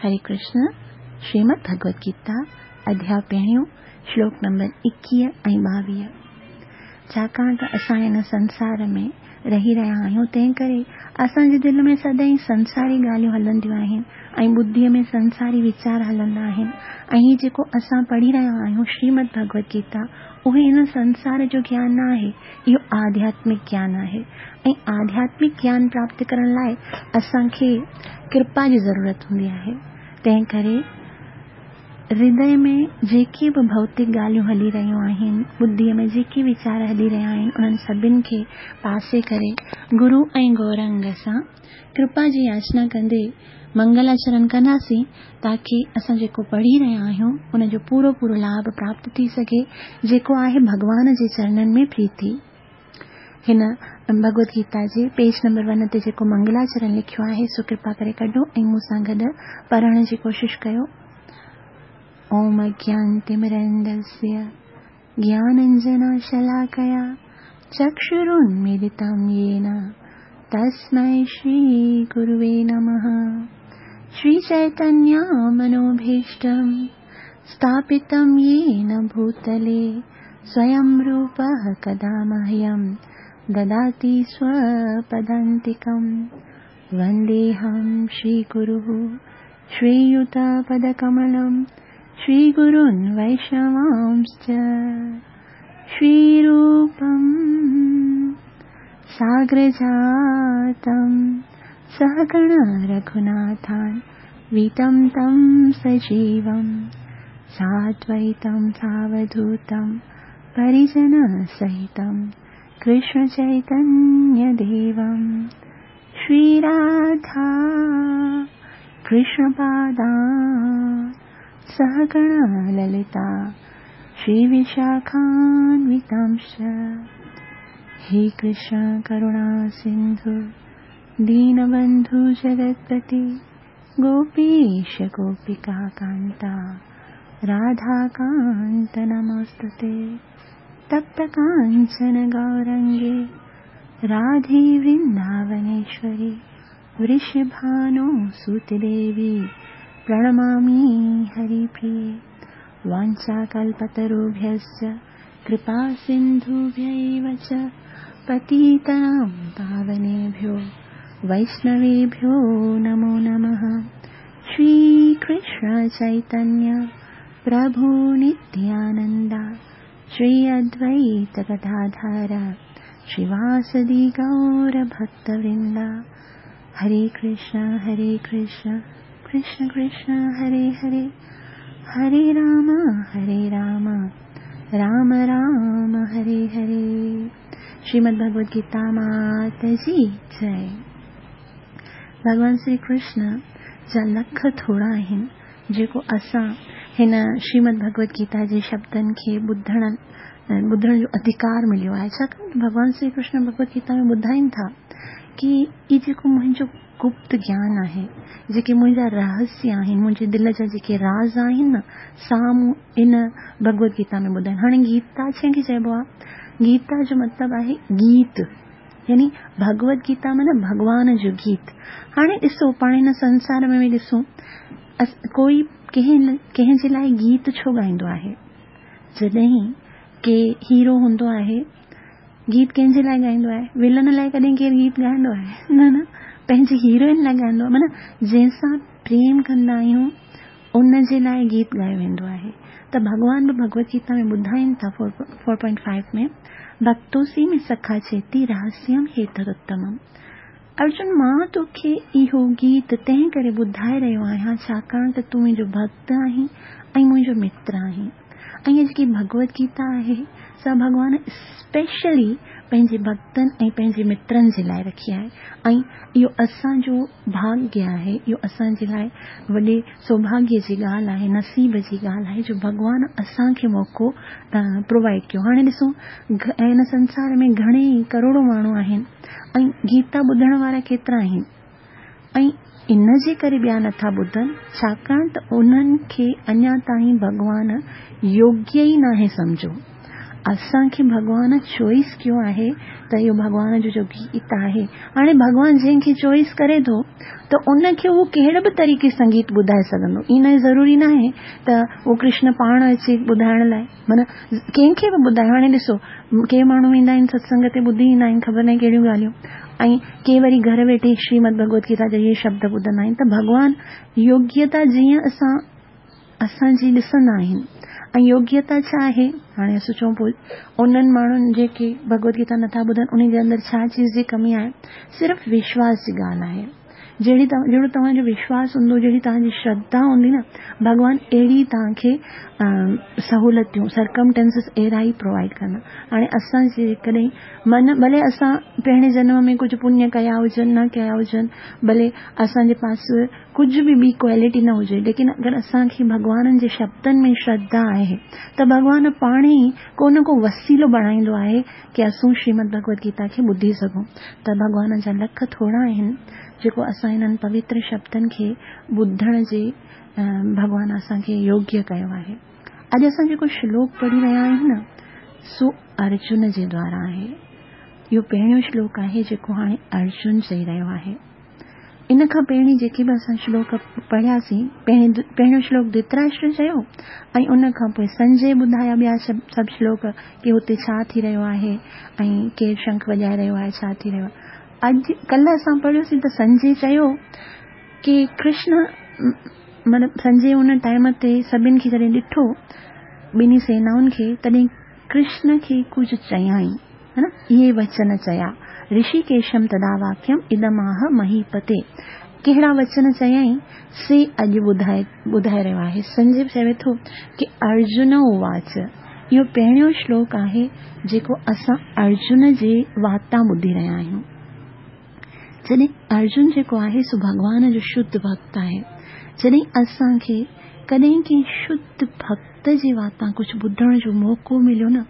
هري ڪرشن، شريمد ڀڳوت گيتا، اڌياء پهريون، شلوڪ نمبر 21 ۽ 22. ڇاڪاڻ ته اسان هن سنسار ۾ رهي رهيا آهيون، تنهن ڪري اسان جي دل ۾ سدائين سنساري ڳالهيون هلنديون آهن ۽ ٻڌيء ۾ سنساري ويچار هلندا آهن ۽ هي جيڪو اسان پڙهي رهيا آهيون شريمد ڀڳوت گيتا، اهي هن سنسار جو گيان نه آهي، اهو آڌياتمڪ گيان آهي ۽ آڌياتمڪ گيان پراپت ڪرڻ لاء اسان کي ڪرپا جي ضرورت هوندي آهي. تنهن ڪري هردي ۾ جيڪي به ڀوتڪ ڳالهيون هلي رهيون آهن، ٻڌيء ۾ جيڪي ويچار هلي رهيا آهن، انهن سڀن کي پاسي ڪري گرو ۽ گورنگ سان ڪرپا جي ياچنا ڪندي منگلاچرن ڪنداسين تاڪي اسان جيڪو پڙهي رهيا آهيون ان جو پورو پورو لاڀ پراپت ٿي سگهي جيڪو آهي ڀڳوان جي چرنن ۾ پريتي. هن ڀڳوت گيتا جي پيج نمبر ون تي جيڪو منگلاچرن لکيو آهي سو ڪرپا ڪري ڪڍو ۽ مون سان گڏ پڙهڻ جي ڪوشش ڪيو. اوم اگيانتمرندسيه گياننجناشلاڪيا چڪشرونميلتم يين تسمي شري گروي نمه. شري چيتنيا منوڀيشٽم ستاپتم يين ڀوتلي سويم روپه ڪدا مهيم دداتي سوپدانتڪم. ونديهم شري گروه شرييوتپدڪملم شري گرون ويشنوامسچ شري روپم ساگرجاتم سهگڻ رघوناٿان ويتم تم سجيوم سادويتم ساوڌوتم پريجن سهتم ڪرشن چيتنيه ديوم شري راڌا ڪرشن پادان سهگڻ للتا شري وشاکانوتامش. هي ڪرشن ڪروڻا سنڌو دينبنڌو جگتپتي گوپيش گوپيڪا ڪانتا راڌا ڪانت نموستي. تپت ڪانچن گورنگي راڌي ورنداونيشوري ورشڀانو سوت ديوي پرڻمامي هري پريي. وانڇاڪلپتروڀيشچ ڪرپا سنڌوڀيو چ پتيتانم پاونيڀيو ويشنويڀيو نمو نمه. شري ڪرشن چيتنيه پرڀو نتيانندا شري ادويت گداڌر شريواسدي گور ڀڪت ورندا. هري ڪرشن هري ڪرشن ڪرشن ڪرشن هري هري هري رام هري رام رام رام هري هري. شريمد ڀڳوت گيتا مات جي جئي. ڀڳوان شري ڪرشن جا لک ٿورا آهن جيڪو اسان هن شريمد ڀڳوت گيتا جي شبدن کي ٻڌڻ جو اڌڪار مليو آهي. ڇاڪاڻ ته ڀڳوان شري ڪرشن ڀڳوت گيتا ۾ ٻڌائين ٿا ڪي هي جيڪو منهنجو گپت گيان آهي، جيڪي منهنجا رهسيه آهن، منهنجي دل جا جيڪي راز آهن نه، سا مون ان ڀڳوت گيتا ۾ ٻڌايا. هاڻي گيتا ڇنهن کي چئبو آهي؟ گيتا جو مطلب آهي گيت، يعني ڀڳوت گيتا معنيٰ ڀڳوان جو گيت. هاڻي ڏسو پاڻ هن سنسار ۾ به ڏسون، ڪوئي ڪنهن جي لاء گيت ڇو ڳائيندو آهي؟ جڏهن ڪي هيرو هوندو آهي، گيت ڪنهن جي لاء ڳائيندو آهي؟ ولن لاء ڪڏهن ڪير گيت ڳائيندو آهي؟ نه نه، پنهنجي هيروئن لاء ڳائيندو آهي. معنيٰ جنهن سان پريم ڪندا آهيون ان جي لاء گيت ڳايو ويندو آهي. ته ڀڳوان به ڀڳوت گيتا ۾ ٻڌائين ٿا فور پوائنٽ فائيو ۾ ڀڪتوسي ۾ سکا چيتي رهسيم هيتدتمم. ارجن مان توکي اهو گيت تنهن ڪري ٻڌائي رهيو آهيان ڇاڪاڻ ته تون منهنجو ڀڳت آهين ۽ منهنجو متر آهين. ۽ هيء جيڪي ڀڳوت گيتا آهي سا ڀڳوان اسپيشلي پنهنجي ڀڳتن ۽ پنهنجي مترن جي لاء رکي آهي ۽ اهو اسان جو ڀاڳيه آهي، اهو اسان جي لاء وڏي سوڀاڳيه جي ڳالهه آهي، نصيب جي ڳالهه آهي جو ڀڳوان اسان کي موقعو پرووائيڊ ڪيو. هاڻي ڏسون هن سنسار ۾ گهڻي ئي ڪروڙون ماڻهو آهن ۽ گيتا ٻڌڻ وارا ڪيترا آهن؟ ۽ ان جي ڪري ٻيا نٿا ٻڌن، ڇاڪاڻ ته انهن کي اڃا تائين ڀڳوان يوگيه ئي ناهي سمجهيو. असांखे भॻवान चॉइस कयो आहे त इहो भॻवान जो जो गीत आहे। हाणे भॻवान जंहिंखे चॉइस करे थो त उनखे उहो कहिड़े बि तरीक़े सां गीत ॿुधाए सघंदो। इन ज़रूरी न आहे त उहो कृष्ण पाण अचे ॿुधाइण लाइ, माना कंहिंखे बि ॿुधाए। हाणे ॾिसो, के माण्हू ईंदा आहिनि सत्संग ते ॿुधी ईंदा आहिनि ख़बर न आहे कहिड़ियूं ॻाल्हियूं, ऐं के वरी घर वेठे श्रीमद भगवत गीता जा इहे शब्द ॿुधंदा आहिनि। त भॻवान योग्यता जीअं असां असांजी ॾिसंदा आहिनि। ऐं योग्यता छा आहे? हाणे असां चऊं पोइ उन्हनि माण्हुनि जेके भगवत गीता नथा ॿुधनि उन जे अंदरि छा चीज़ जी कमी आहे? सिर्फ़ु विश्वास जी ॻाल्हि आहे। जहिड़ी जहिड़ो तव्हांजो विश्वास हूंदो, जहिड़ी तव्हांजी श्रद्धा हूंदी न, भॻवान अहिड़ी तव्हांखे सहूलियतूं, सर्कमटेंसिस अहिड़ा ई प्रोवाइड कंदा। हाणे असां जेकॾहिं मन, भले असां पहिरें जनम में कुझु पुण्य कया हुजनि, न कया हुजनि, भले असांजे पास कुझु बि ॿी क्वालिटी न हुजे, लेकिन अगरि असांखे भॻवाननि जे शब्दनि में श्रद्धा आहे त भॻवान पाण ई को न को वसीलो बणाईंदो आहे की असां श्रीमद भगवत गीता खे ॿुधी सघूं। त भॻवान जा लख थोरा आहिनि जेको असां हिननि पवित्र शब्दनि खे ॿुधण जे भॻवान असांखे योग्य कयो आहे। अॼु असां जेको श्लोक पढ़ी रहिया आहियूं न, सो अर्जुन जे द्वारा आहे। इहो पहिरियों श्लोक आहे जेको हाणे अर्जुन चई रहियो आहे। इन खां पहिरीं जेके बि असां श्लोक पढ़ियासीं, पहिरियों श्लोक धृतराष्ट्र चयो ऐं उन खां पोइ संजय ॿुधाया ॿिया सभु श्लोक की हुते छा थी रहियो आहे ऐं केरु शंख वॼाए रहियो आहे, छा थी रहियो आहे। अॼु कल्ह असां पढ़ियोसीं त संजय चयो की कृष्ण, माना संजय उन टाइम ते सभिनी खे जॾहिं ॾिठो, ॿिन्ही सेनाउनि खे, तॾहिं कृष्ण खे कुझु चयाई, है न, इहे वचन चया, ऋषिकेशम तदा वाक्यम इदमाह महीपते। कहिड़ा वचन चयाई से अॼु ॿुधाए रहियो आहे। संजय चवे थो की अर्जुन उवाच। इहो पहिरियों श्लोक आहे जेको असां अर्जुन जे वातां ॿुधी रहिया आहियूं। जॾहिं अर्जुन जेको आहे सो भॻवान जो शुद्ध भक्त आहे। जॾहिं असांखे कॾहिं कंहिं शुद्ध भक्त जे वातां कुझु ॿुधण जो मौक़ो मिलियो न,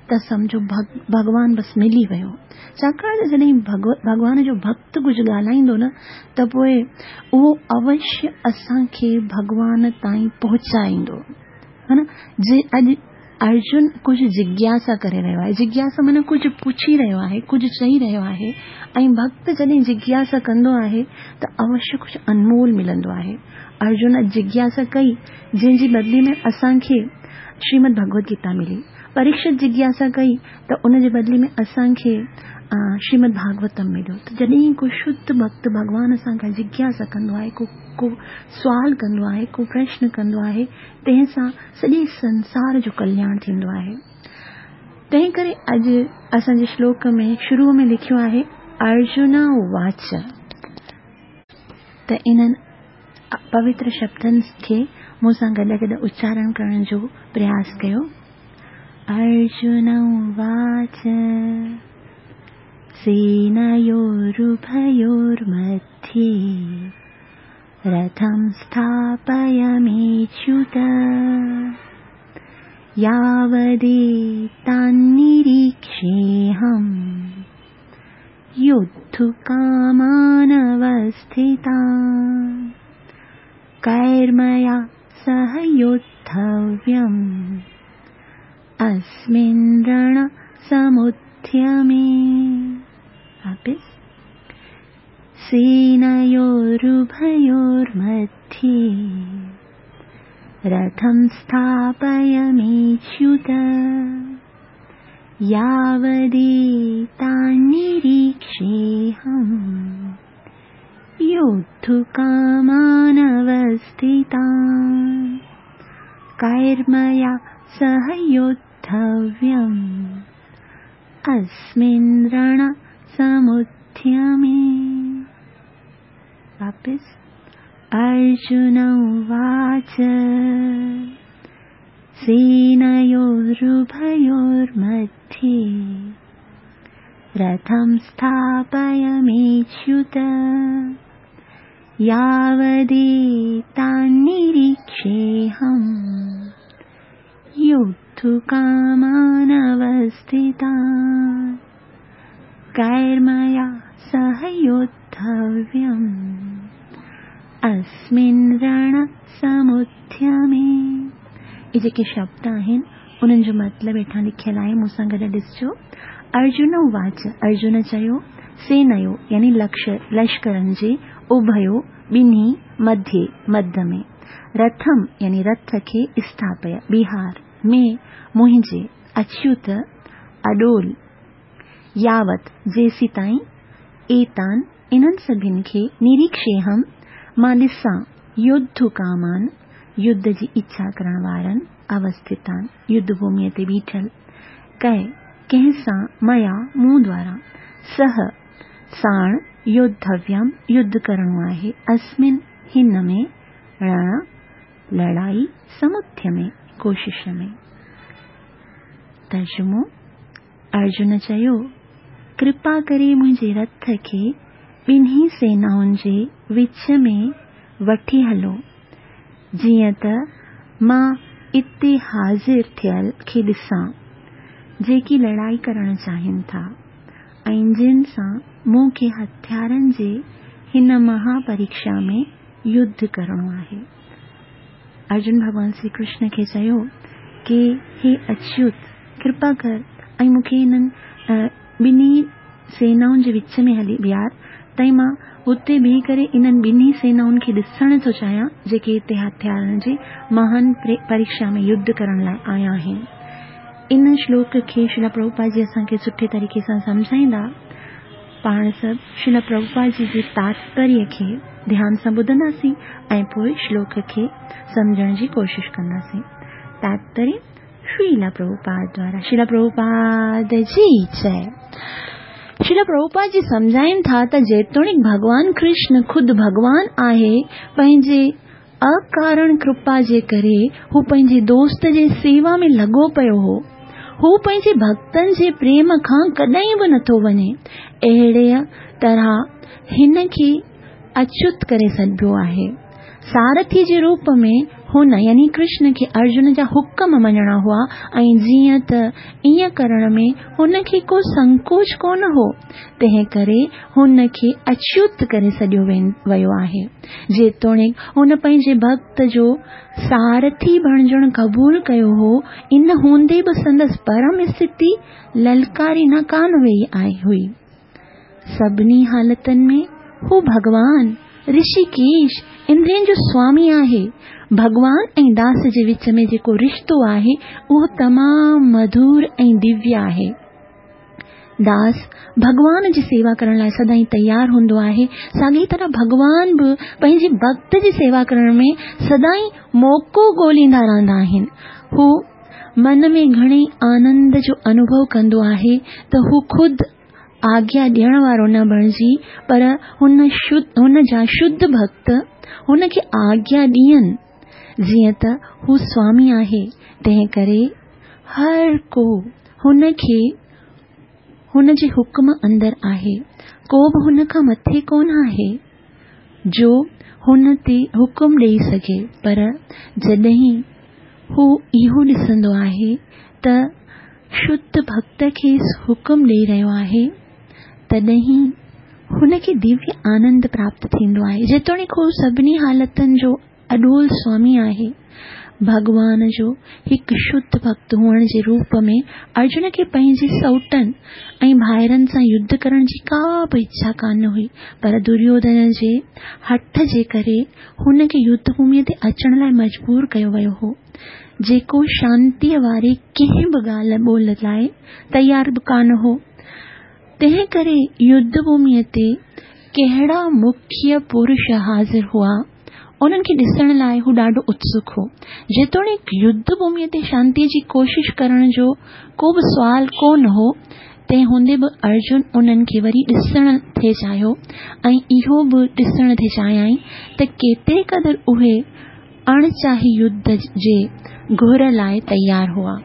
त सम्झो भॻवान बसि मिली वियो। छाकाणि त जॾहिं भॻवान जो भक्त कुझु ॻाल्हाईंदो न, त पोइ उहो अवश्य असांखे भॻवान ताईं पहुचाईंदो, है न। जे अॼु अर्जुन कुझु जिज्ञासा करे रहियो आहे, जिज्ञासा माना कुझु पुछी रहियो आहे, कुझु चई रहियो आहे, ऐं भक्त जॾहिं जिज्ञासा कंदो आहे त अवश्य कुझु अनमोल मिलंदो आहे। अर्जुन अॼु जिज्ञासा कई, जंहिंजी बदिले में असांखे श्रीमद भगवत गीता मिली। परीक्षित जिज्ञासा कई त उन जे बदिले में असांखे श्रीमद भागवतम मिलियो। त जॾहिं को शुद्ध भक्त भॻवान सां का जिज्ञासा कंदो आहे, को को सुवाल कंदो आहे, को प्रश्न कंदो आहे, तंहिं सां सॼे संसार जो कल्याण थींदो आहे। तंहिं करे अॼु असांजे श्लोक में शुरू में लिखियो आहे अर्जुन उवाच। त इन्हनि पवित्र शब्दनि खे मूंसां गॾु गॾु उच्चारण करण जो प्रयास कयो। अर्जुन उवाच सेनयोरुभयोर्मध्ये रथं स्थापयमेच्युत यावदेतान्निरीक्षेऽहं योद्धुकामानवस्थितान् कैर्मया सह योद्धव्यम् अस्मिन् रणसमुद्यमे। वापस सेनयोरुभयोर्मध्ये रथं स्थापयमेच्युत यावदेतान्निरीक्षेऽहं योद्धुकामानवस्थितान् कैर्मया सह योद्धव्यम् अस्मिन् रणसमुद्यमे। वापस अर्जुन उवाच सेनयोरुभयोर्मध्ये रथं स्थापयमेच्युत यावदेतान्निरीक्षेऽहं योद्धुकामानवस्थितान् कैर्मया सह योद्धव्यम् अस्मिन् रणसमुद्यमे। इहे जेके शब्द आहिनि انهن جو مطلب هيٺان لکيل آهي، مون سان گڏ ڏسجو. ارجن اواچ، ارجن چيو، سينيو يعني لشڪرن جي، اڀيو، ٻنهي، مڌيي، مڌ ۾، رٿم يعني رٿ کي، اسٿاپي، بيهار، ۾ منهنجي، اچيوت، اڏول، ياوت، جيسيتائين، ايتان، انهن سڀن کي، نريڪشيهم، مان ڏسان، يوڌڪامان، يڌ جي اڇا ڪرڻ وارن، اوسٿتان، يڌ ڀوميء تي بيٺل، ڪئه، ڪنهن سان، ميا، مون دوارا، سه، ساڻ، يوڌويم، يڌ ڪرڻو آهي، اسمن، هن ۾، رڻ، لڙائي، سمٿيمي، ڪوشش ۾. ترجمو، ارجن چيو، ڪرپا ڪري منهنجي رٿ کي ٻنهي سينائن جي وچ ۾ وٺي هلو، جيئن ته مان اتي حاضر ٿيل کي ڏسان، جيڪي لڙائي ڪرڻ چاهين ٿا ۽ جن سان مون کي هٿيارن جي هن مها پريکشا ۾ يڌ ڪرڻو آهي. ارجن ڀڳوان شري ڪرشن کي چيو ڪي هي اچيوت! ڪرپا ڪر ۽ مون کي انهن ٻنهي سينائن جي وچ ۾ هلي بيهار ته مان اتي بيهي ڪري انهن ٻنهي سينائن کي ڏسڻ ٿو چاهيان جيڪي هتي هٿيارن جي مهان پريکشا ۾ يڌ ڪرڻ لاء آيا آهن. ان شلوڪ کي شريلا پرڀوپاد جي اسان کي سٺي طريقي سان سمجهائيندا. پاڻ سڀ شريلا پرڀوپاد جي جي تاتپريه کي ڌيان سان ٻڌنداسين ۽ پوء شلوڪ کي سمجهڻ جي ڪوشش ڪنداسين. تاتپريه شريلا پرڀوپاد دوارا شريلا پرڀوپاد جي جئي. شريلا پرڀوپاد جي سمجهائين ٿا ته جيتوڻيڪ ڀڳوان ڪرشن خود ڀڳوان آهي، پنهنجي اڪارڻ ڪرپا جي ڪري هو پنهنجي دوست جي سيوا ۾ لڳو پيو هو. هو پنهنجي ڀڳتن جي پريم کان ڪڏهن به نٿو وڃي. اهڙيء طرح هن کي اچيوت ڪري سڏبو آهي. سارٿي جي روپ ۾ هن يعني ڪرشن کي ارجن جا حڪم مڃڻا هئا ۽ جيئن ته ائين ڪرڻ ۾ هن کي ڪو سنڪوچ ڪونه هو، تنهن ڪري هن کي اچيوت ڪري سڏيو ويو آهي. جيتوڻيڪ هن پنهنجي ڀڳت جو سارٿي بڻجڻ قبول ڪيو هو، ان هوندي به سندس پرم اسٿتي للڪاري نه ڪانه ويئي هئي. سڀني حالتن ۾ هو ڀڳوان، رشيڪيش، اندرين جو سوامي آهي. ڀڳوان ۽ داس جي وچ ۾ جيڪو رشتو آهي، اهو تمام مڌور ۽ دويه آهي. داس ڀڳوان جي سيوا ڪرڻ لاء سدائين تيار هوندو آهي، ساڳيء طرح ڀڳوان به پنهنجي ڀڳت جي سيوا ڪرڻ ۾ سدائين موقعو ڳوليندا رهندا آهن. هو من ۾ گهڻي آنند جو انوڀو ڪندو آهي ته هو خود آگيا ڏيڻ وارو نه بڻجي پر هن جا شڌ ڀڳت هن کي آگيا ڏين. جيئن ته هو سوامي آهي، تنهن ڪري هر ڪو هن کي هن جي حڪم اندر آهي. ڪو به هن کان مٿي ڪونه آهي، جو هن تي حڪم ڏيئي سگهي. پر جڏهن هو اهو ڏسندو آهي ته شڌ ڀڳت کيس حڪم ڏيئي رهيو آهي، تڏهن هن کي دويه آنند پراپت ٿيندو آهي. جيتوڻيڪ هو سڀني حالتن جو اڏول سوامي آهي. ڀڳوان جو هڪ شڌ ڀڳت هئڻ جي روپ ۾ ارجن کي پنهنجي سئوٽن ۽ ڀائرن سان يڌ ڪرڻ جي ڪا به اڇا ڪانه هئي، پر دريوڌن جي هٺ جي ڪري هن کي يڌ ڀوميء تي اچڻ لاء مجبور ڪيو ويو هو، جيڪو شانتيء واري ڪنهن به ڳالهه ٻولهه لاء تيار به ڪانه هو. تنهن ڪري يڌ ڀوميء تي ڪهڙا مکيه پرش حاضر هئا، انهن کي ڏسڻ لاء هو ڏاڍو اتسڪ هو. جيتوڻيڪ يڌ ڀوميء تي شانتيء جي ڪوشش ڪرڻ جو ڪو به سوال ڪو نه هو، تنهن هوندي به ارجن انهن کي وري ڏسڻ ٿي چاهيو ۽ اهو به ڏسڻ ٿي چاهيائين ته ڪيتري قدر اهي اڻ چاهي يڌ جي گهر لاء تيار هئا.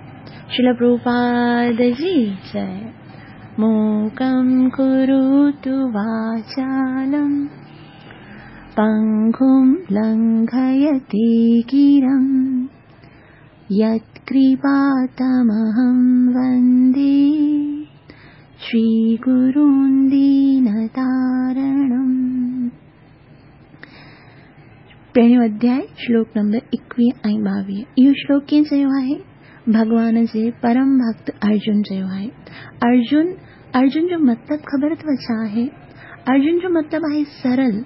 شريلا پرڀوپاد جي جئي. موڪم ڪروتو واچالم. پنگم لنگهيتي گرم يتڪرپا تمهم وندي شري گرون دينتارڻم. پهريون اڌياء شلوڪ نمبر 21 ۽ 22. اهو شلوڪ ڪنهن چيو آهي؟ ڀڳوان جي پرم ڀڳت ارجن چيو آهي. ارجن، ارجن جو مطلب خبر اٿو ڇا آهي؟ ارجن جو مطلب آهي سرل،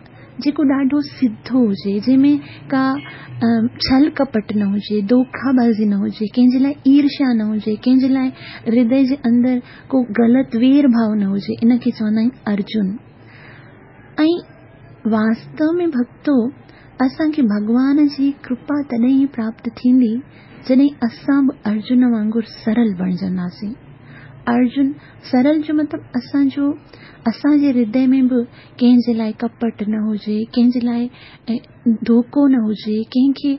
جيڪو ڏاڍو سڌو هجي، جنهن ۾ ڪا ڇل ڪپٽ نه هجي، دوکابازي نه هجي، ڪنهن جي لاء ايرشا نه هجي، ڪنهن جي لاء هردي جي اندر ڪو غلط وير ڀاو نه هجي، ان کي چوندا آهن ارجن. ۽ واستو ۾ ڀڳتو اسان کي ڀڳوان جي ڪرپا تڏهن ئي پراپت ٿيندي جڏهن اسان به ارجن وانگر سرل بڻجنداسين. ارجن، سرل جو مطلب اسان جو اسان جي هردي ۾ به ڪنهن جي لاء ڪپٽ نه هجي، ڪنهن جي لاء ڌوڪو نه هجي، ڪنهن کي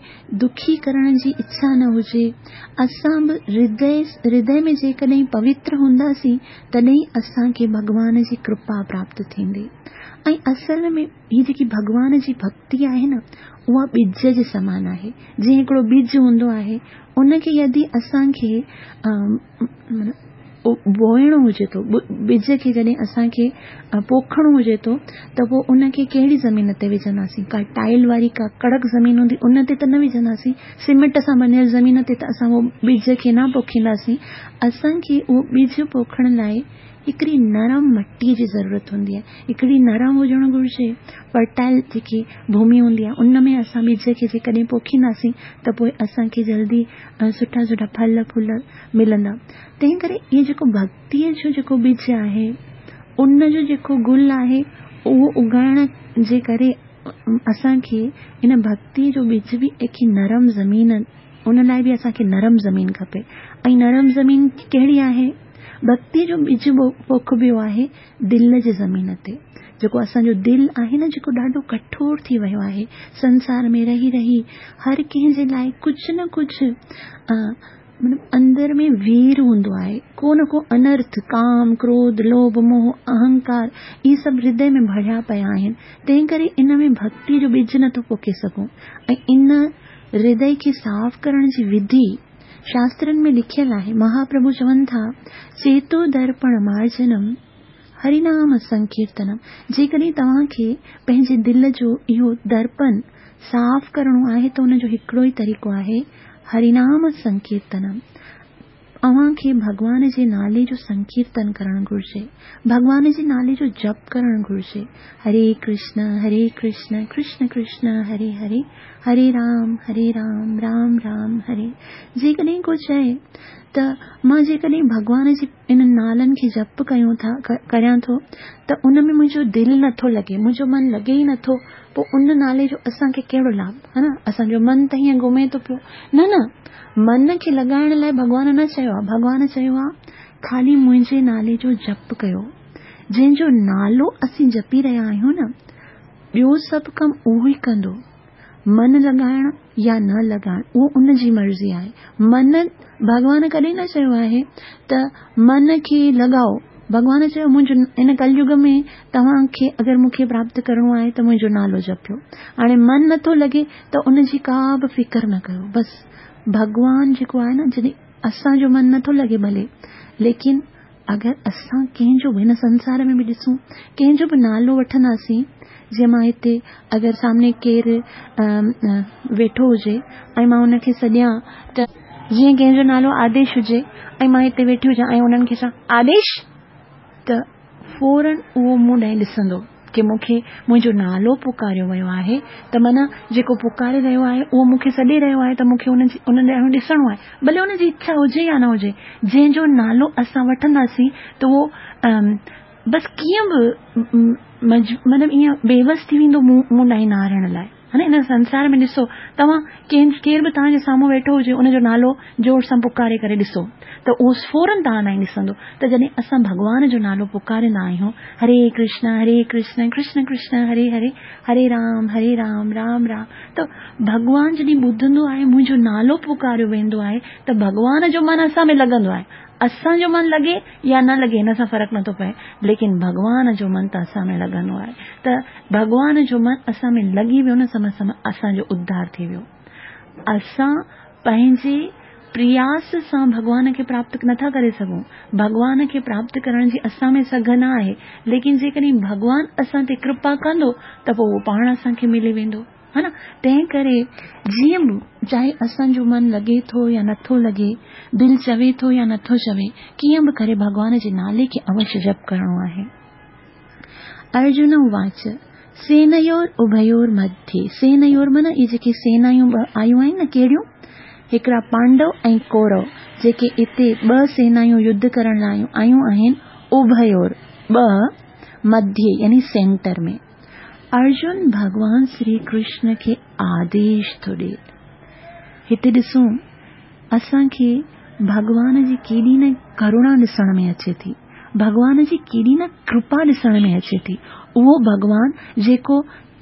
دکي ڪرڻ جي اڇا نه هجي. اسان به هردي هردي ۾ جيڪڏهن پوتر هونداسين تڏهن اسان کي ڀڳوان جي ڪرپا پراپت ٿيندي. ۽ اصل ۾ هي جيڪي ڀڳوان جي ڀڳتي آهي نه اها ٻج جي سمان آهي. جيئن هڪڙو ٻج هوندو آهي ان کي يدي اسان کي بوئڻو هجي ٿو، ٻج کي جڏهن اسان کي پوکڻو هجي ٿو ته پوء ان کي ڪهڙي زمين تي وجهنداسين؟ ڪا ٽائل واري ڪا ڪڙڪ زمين هوندي ان تي ته نه وجهنداسين، سيمينٽ سان بنيل زمين تي ته اسان اهو ٻج کي نه پوکينداسين. اسان کي اهو ٻج پوکڻ لاء هڪڙي نرم مٽيء جي ضرورت هوندي آهي. هڪڙي نرم هجڻ گهرجي، فرٽائل جيڪي ڀومي هوندي آهي ان ۾ اسان ٻج کي جيڪڏهن پوکينداسين ته پوء اسان کي جلدي سٺا سٺا ڦل ڦول ملندا. تنهن ڪري اهو جيڪو ڀڳتيء جو جيڪو ٻج آهي ان جو جيڪو گل آهي اهو اگائڻ جي ڪري اسان کي ان ڀڳتيء جو ٻج به هڪ نرم زمين ان لاء به اسان کي نرم زمين کپي ۽ نرم زمين ڪهڙي آهي؟ ڀڳتيء جو ٻج پوکبو آهي دل جي زمين تي. جيڪو اسان جو دل آهي نه جيڪو ڏاڍو ڪٺور ٿي ويو آهي سنسار ۾ رهي رهي هر ڪنهن جي لاء ڪجهه نه ڪجهه مطلب اندر ۾ وير هوندو آهي ڪو نه ڪو انرٿ ڪام ڪروڌ لوڀ موهه اهنڪار اهي سڀ هردي ۾ ڀريا پيا آهن تنهن ڪري ان ۾ ڀڳتيء جو ٻج نٿو پوکي سگهون ۽ ان هردي کي صاف ڪرڻ جي وڌي شاسترن ۾ لکيل آهي مهاپرڀو چون ٿا چيتو درپڻ مارجنم هرينام سنڪيرتنم جيڪڏهن توهان کي پنهنجي دل جو اهو درپن صاف ڪرڻو آهي ته ان جو هڪڙو ئي طريقو آهي هرينام سنڪيرتنم اوهان کي ڀڳوان جي نالي جو سنڪيرتن ڪرڻ گهرجي. ڀڳوان جي نالي جو جپ ڪرڻ گهرجي. هري ڪرشن هري ڪرشن ڪرشن ڪرشن هري هري هري رام هري رام رام رام هري جيڪڏهن ڪو چئي ته مان جيڪڏهن ڀڳوان جي انهن نالن کي جپ ڪيون ٿا ڪريان ٿو ته ان ۾ منهنجو دل نٿو لڳي منهنجو من لڳي ئي نٿو پوء ان نالي جو اسان کي ڪهڙو لاڀ ها نه اسان جو من ته هيئن گهمي ٿو پيو نه نه من کي لڳائڻ لاء ڀڳوان نه چيو آهي ڀڳوان چيو آهي خالي منهنجي نالي جو جپ ڪيو جنهن جو نالو اسين جپي رهيا آهيون نه ٻيو سڀ ڪم اهو ئي ڪندو من لڳائڻ يا نه لڳائڻ اهو ان جي مرضي آهي. من، ڀڳوان ڪڏهن نه چيو آهي ته من کي لڳائو. ڀڳوان چيو منهنجو هن ڪليگ ۾ توهان کي اگر مون کي پراپت ڪرڻو آهي ته منهنجو نالو جپيو. هاڻي من نٿو لڳي ته ان جي ڪا به فڪر نه ڪيو. بس ڀڳوان جيڪو آهي نه جڏهن اسان جو من نٿو لڳي ڀلي ليڪن اگر اسان ڪنهن جو به هن سنسار ۾ به ڏسون ڪنهن جو به نالو وٺنداسين جيئن مان هتي اگر سامني ڪير ويٺو هجي ۽ مان ان کي سڏيان ته جيئن ڪنهن جو نالو آديش هجي ۽ مان هتي ويٺي هجان ۽ انهن کي چوان آديش ته فورن اهو مون ڏانهن ڏسندو ڪي مون کي منهنجو نالو پڪاريو ويو آهي ته معنيٰ جيڪو پڪاري رهيو آهي اهو مون کي سڏي رهيو آهي ته مون کي ان جي ان ڏانهن ڏسڻو آهي ڀلي ان جي اڇا هجي يا نه هجي جنهن جو نالو اسان وٺنداسين ته اهو بس ڪيئن به مطلب ائين بيوس ٿي ويندو مون مون ڏانهن نهارڻ لاء ها نه هن سنسار ۾ ڏسو توهان ڪنهن ڪير به توهان جي سامهون ويٺو هجي ان جو نالو زور سان پڪاري ڪري ڏسو ته اهو فورن توهان ڏانهن ڏسندو ته جڏهن اسان ڀڳوان جو نالو پڪاريندا آهيون هري ڪرشن هري ڪرشن ڪرشن ڪرشن هري هري هري رام هري رام رام رام ته ڀڳوان جڏهن ٻڌندو آهي منهنجو نالو پڪاريو ويندو آهي ته ڀڳوان جو من اسان ۾ لڳندو آهي اسان جو من لڳي يا نه لڳي هن سان فرق نٿو پئي ليڪن ڀڳوان جو من ته اسان ۾ لڳندو آهي ته ڀڳوان جو من اسان ۾ لڳي ويو نه سم سم اسان جو اڌار ٿي ويو اسان پنهنجي پرياس سان ڀڳوان کي پراپت نٿا ڪري سگهون ڀڳوان کي پراپت ڪرڻ جي اسان ۾ سگهه نه آهي ليڪن جيڪڏهن ڀڳوان اسان تي ڪرپا ڪندو ته پوء اهو پاڻ اسان کي ملي ويندو. ها نه تنهن ڪري جيئن به چاهي اسان جو من لڳي ٿو يا نٿو لڳي، دل چوي ٿو يا نٿو چوي، ڪيئن به ڪري ڀڳوان جي نالي کي اوشيه جپ ڪرڻو آهي. ارجن اواچ، سينيور اڀيور مڌي، سينيور معنيٰ اهي جيڪي سينايون ٻه آيون آهن نه ڪهڙيون؟ هڪڙا پانڊو ۽ ڪورو جيڪي اتي ٻه سينايون يڌ ڪرڻ لاء آيون آهن، اڀيور ٻه، مڌي يعني سينٽر ۾. ارجن ڀڳوان شري ڪرشن کي آديش ٿو ڏئي. هتي ڏسون اسان کي ڀڳوان جي ڪيڏي نه ڪروڻا ڏسڻ ۾ اچي ٿي. ڀڳوان جي ڪيڏي نه ڪرپا ڏسڻ ۾ اچي ٿي. اهو ڀڳوان جيڪو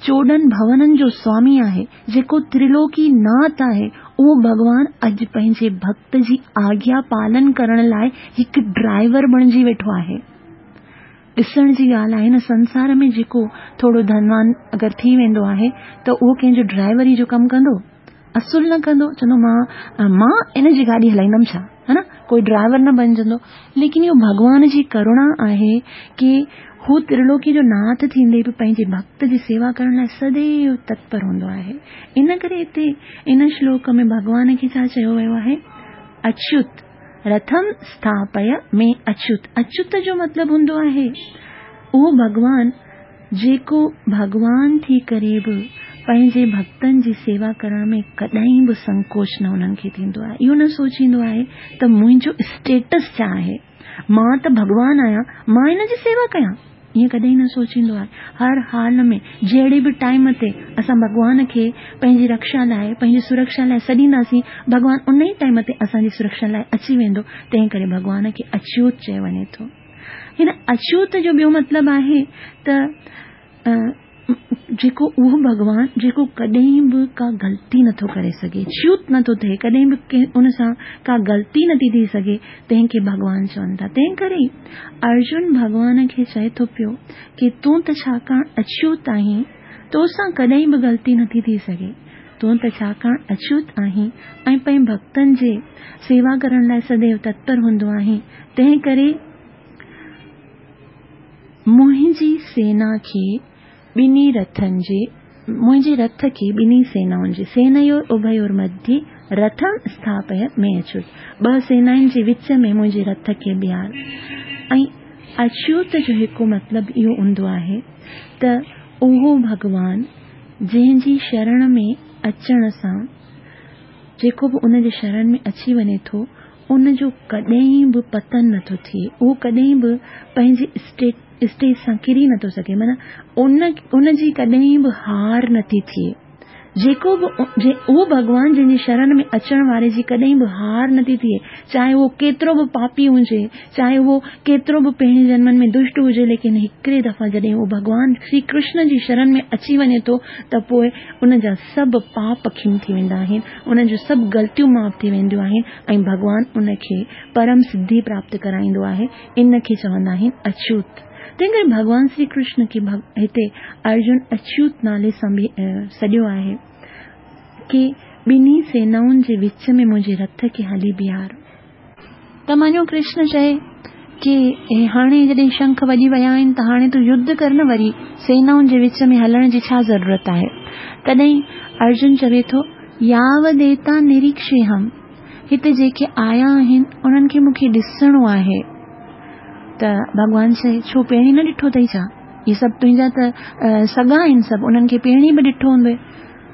14 ڀونن جو سوامي آهي، جيڪو ترلوڪي ناٿ آهي، اهو ڀڳوان اڄ پنهنجي ڀڳت جي آگيا پالن ڪرڻ لاء هڪ ڊرائيور بڻجي ويٺو آهي. ڏسڻ جي ڳالهه آهي نه سنسار ۾ جيڪو ٿورو ڌنوان اگر ٿي ويندو آهي ته اهو ڪنهن جو ڊرائيوري جو ڪم ڪندو؟ اصل نه ڪندو، چوندو مان مان ان جي گاڏي هلائيندم ڇا؟ ها نه ڪوئي ڊرائيور نه بنجندو. ليڪن اهو ڀڳوان جي ڪروڻا آهي ڪي هو ترلوڪي جو ناٿ ٿيندي به پنهنجي ڀڳت جي سيوا ڪرڻ لاء سديو تتپر هوندو آهي. ان ڪري هتي ان شلوڪ ۾ ڀڳوان کي ڇا چيو ويو آهي؟ اڇوت رٿم اسٿاپي ۾ اڇوت. اڇوت جو مطلب هوندو آهي اهو ڀڳوان جيڪو ڀڳوان ٿي ڪري به پنهنجي ڀڳتن جي سيوا ڪرڻ ۾ ڪڏهن به سنڪوچ نه انهن کي ٿيندو آهي. اهو نه سوچيندو آهي ته منهنجو اسٽيٽس ڇا آهي، مان ته ڀڳوان آهيان، مان هن جي سيوا ڪيان. ائين ڪڏهن نه سوچيندو آهي. هر حال ۾ جهڙي به ٽائيم تي اسان ڀڳوان کي پنهنجي رڪشا لاء، پنهنجي سرڪشا لاء سڏينداسين، ڀڳوان ان ئي ٽائيم تي اسان جي سرڪشا لاء اچي ويندو، تنهن ڪري ڀڳوان کي اڇوت چيو وڃي ٿو. هن اڇوت جو ٻيو مطلب آهي ته جيڪو اهو ڀڳوان جيڪو ڪڏهن به ڪا غلطي نٿو ڪري سگهي، ڇوت نٿو ٿئي، ڪڏهن به ڪنهن ان سان ڪا غلطي نٿي ٿي سگهي، تنهن کي ڀڳوان چون ٿا. تنهن ڪري ئي ارجن ڀڳوان کي چئي ٿو پيو ڪي تون ته ڇاڪاڻ اڇوت آهين، تو سان ڪڏهن به غلطي نٿي ٿي سگهي. تون ته ڇاڪاڻ اڇوت آهين ۽ پنهنجي ڀڳتن جي سيوا ڪرڻ لاء سديو تتپر هوندو آهين، تنهن ڪري منهنجي سينا کي ٻنهي رٿن جي منهنجي رٿ کي ٻنهي سينائن جي، سينيور اڀيور مڌي رٿم اسٿاپي ۾ اڇوت، ٻه سينائن جي وچ ۾ منهنجي رٿ کي بيهار. ۽ اڇوت جو هڪ مطلب اهو هوندو آهي ته اهو ڀڳوان جنهن جي شرڻ ۾ اچڻ سان جيڪو به ان جي شرڻ ۾ اچي وڃي ٿو ان جو ڪڏهن به پتن نٿو ٿئي، اهو ڪڏهن به پنهنجي اسٽيج سان ڪري نٿو سگهي، معنيٰ ان ان جي ڪڏهن به هار نٿي ٿئي. جيڪو به اهو ڀڳوان جنهن جي شرڻ ۾ اچڻ واري جي ڪڏهن به هار نٿي ٿئي، چاهي اهو ڪيترو به پاپي هجي، چاهي اهو ڪيترو به پهرين جنمن ۾ دشٽ هجي، ليڪن هڪڙي دفعا جڏهن اهو ڀڳوان شري ڪرشن جي شرڻ ۾ اچي وڃي ٿو ته پوء ان جا سڀ پاپ کم ٿي ويندا آهن، ان جون سڀ غلطيون معاف ٿي وينديون آهن ۽ ڀڳوان ان کي پرم سڌي پراپت ڪرائيندو آهي، ان کي چوندا آهن اڇوت. تنهن ڪري ڀڳوان شري ڪرشن کي هتي ارجن اڇوت نالي سان به سڏيو آهي ڪي ٻنهي سينائن جي وچ ۾ منهنجي رٿ کي هلي بيهار. ته مڃو ڪرشن چئي ڪي هاڻي جڏهن شنک وڄي ويا آهن ته هاڻي تون يڌ ڪر نه وري سينائن جي وچ ۾ هلڻ جي ڇا ضرورت آهي. تڏهن ارجن چوي ٿو ياوديتا نريکشيهم هتي جيڪي آيا آهن انهن کي مون کي ڏسڻو آهي. ته ڀڳوان چئي ڇو پهرين نه ڏٺو اٿئي ڇا؟ اهي سڀ تنهنجا ته سڳا آهن سڀ انهن کي پهرين به ڏٺو هوندئي.